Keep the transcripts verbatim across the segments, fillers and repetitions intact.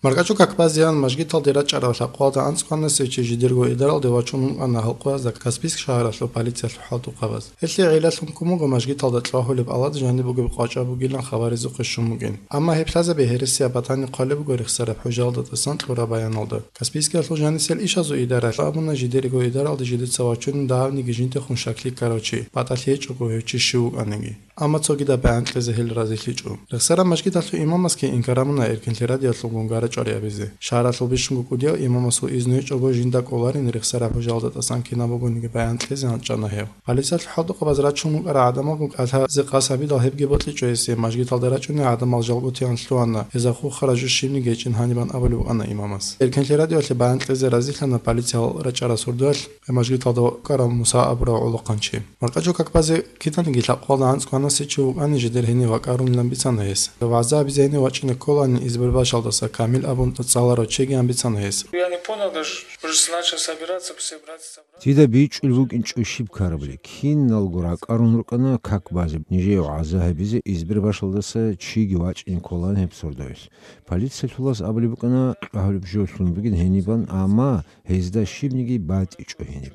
Маркачу как базеян мажгиталде рачӀарал лъакъоялда анцӀкӀванасев чи жидерго идаралде вачун вукӀана гьалкъоязда Каспийск шагьаралъул полициялъул хӀалтӀухъабаз. Гьелъие гӀиллалъун ккун буго мажгиталда чӀвагьулеб алад жаниб бугеб къвачӀа бугилан хабаризухъе щун бугин. Амма гьеб лъазаби гьересияб батани хъвалеб буго рехсараб хӀужалда тӀасан кьураб баяналда. Каспийскиялъул жанисел ишазул идаралъ абуна жидерго идаралде жидеца вачунин дагьабниги жиндехун щаклъи ккарав чи, батӀалъи гьечӀого гьев чи щив вукӀаниги. Амма цогидаб бегӀан кьезе гьел разилъичӀо. Рехсараб мажгиталъул имамасги инкар гьабуна Эркинлъи радиоялъулгун гара чӀвари абизе. Шагьаралъул бищунго кӀудияв имамасул изну гьечӀого жинда кӀоларин рехсараб хӀужалда тӀасан кинаб бугониги баян кьезе гьанчӀана гьев. Полициялъул хӀалтӀухъабаз рачун вукӀарал гӀадамалгун кӀалъазе къасд гьабидал гьебги бокьичӀо гьесие, мажгиталда рачӀунел гӀадамал жалго тиян лъугьана, гьезда хуххара жо щибниги гьечӀин гьанибан абулеб букӀана имамас. Эркинлъи радиоялъе баян кьезе разилъана полициялъ рачӀарал сордоялъ мажгиталда вукӀарав Муса абурав гӀолохъанчи. Маркачу как базе киданиги лъакъоялда анцӀкӀванасев чи вукӀани жидер гьенив вакӀарунилан бицана гьес. ВагӀза абизе гьенив вачӀине кколанин Избербашалдаса Камил абун цӀаларав чигиян бицана гьес. Я не понял даже, уже начал собираться, все братья собрались. Дида бичӀчӀулеб букӀинчӀо щиб ккарабали. Киналго ракӀарун рукӀана как базе, нижее вагӀза гьабизе Избербашалдаса чиги вачӀине кколан гьеб сордоялъ. Полициялъулас абулеб букӀана, чӀвагьулеб жо лъун бугин гьенибан, амма гьезда щибниги батичӀо гьениб.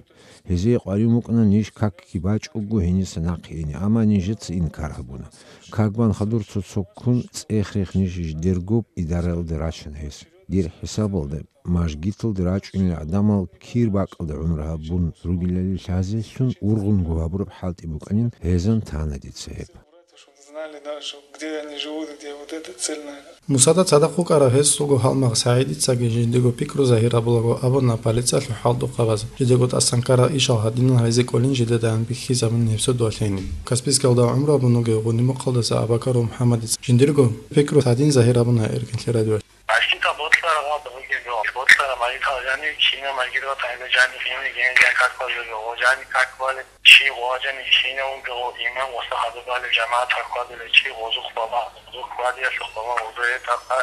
Гьезие къваригӀун букӀана ниж какги бачӀого гьениса нахъе ине, амма нижеца инкар гьабуна. Как бан хадур цо-цо ккун цӀех-рех ниж жидерго идаралде рачана гьес. Дир хӀисабалда, мажгиталде рачӀунел гӀадамал кир бакӀалда гӀумру гьабун ругелали лъазелъун ургъунго гьабураб хӀалтӀи букӀанин гьезан тана дица гьеб. Знали, да, что где они живут, где вот это цель, наверное. Мусада цадахъ вукӀарав гьесулго гьалмагъ СагӀидицаги жиндиего пикру загьир гьабулаго абуна полициялъул хӀалтӀухъабаз, жидего тӀасан ккарал ишал гьадинал гьайзе кӀолин жидедаан бихьизабун гьеб сордоялъ гьениб. Каспийскалда гӀумру гьабун вугев Гъунимухъалдаса Абакаров МухӀамадица жиндирго пикру гьадин загьир гьабуна Эркинлъи радиоялъ. Мажгитал ботлъараб гъаб бугеб, ботлъараб мажгитал жани, кина мажгитал тайда жани, кина генжа как базуги, о жани как бале, чи гъважани, кина унгел, о имам, оса хадубали, жамаат хадубали, чи гъозухъ бала, гъозухъ бадиялъухъ бала, гъозу гьетахъа,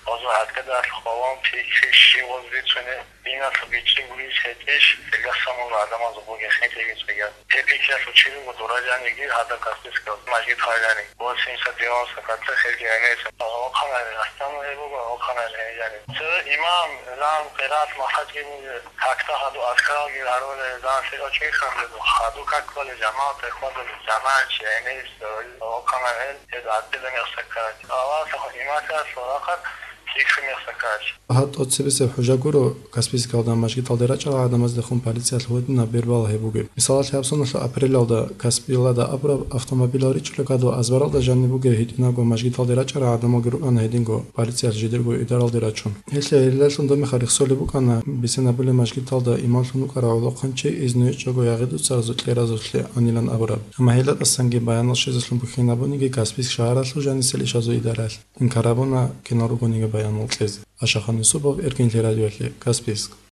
гъозу гьадкадалъухъ бала, пикри, чи гъоз бицуне, диналъ бичӀчӀи гурис гьетӀищ, гьелдаса мугӀ гӀадамазул бугехъин тӀегицӀиган. Гьеб пикриялъул чи руго дураданиги гьадаб Каспийскалда мажгит гьариланиги, восемьдесят девяносто процент гьелги гӀемерисеб. Гьалохъанай, рахтана гьеб буго, гьалохъанай гьелги. Цо имам, зан, къираат, махӀадги буго, какда гьаду азкаралги гьарулел, зан, лъикӀав чӀейхъан буго, гьаду как балел, жамагӀат рехбадулел, жамагӀатчи, гӀемерисеб, гьалохъанай гьел, гьез гӀадилан яхсаккарал. Аллагьасда имамасул рахъалъ пикри мехсаккарал. Гьаб тӀоцебесеб хӀужа гуро, Каспийскалда мажгиталде рачӀарал гӀадамаздехун полициялъ гьединаб бербала гьеб бугеб. Мисалалъе, гьаб соналъул апрелалда Каспиялда абураб автомобилал ричӀчӀулеб кадур азбаралда жаниб бугеб гьитӀинабго мажгиталде рачӀарал гӀадамалги рукӀана гьединго полициялъ жидерго идаралде рачун. Гьелъие гьелдалъун доб мехалъ рехсолеб букӀана Бесенабуле мажгиталда имамлъун вукӀарав гӀолохъанчи изну гьечӀого ягъи-дуцаразул кьеразулъе анилан абураб. Амма гьелда тӀасанги баянал щвезелъун бухьинабуниги Каспийск шагьаралъул жанисел ишазул идаралъ. Инкар гьабуна кинал ругониги баянал кьезе. Ашахан Юсупов, Эркинлъи радиоялъе, Каспийск.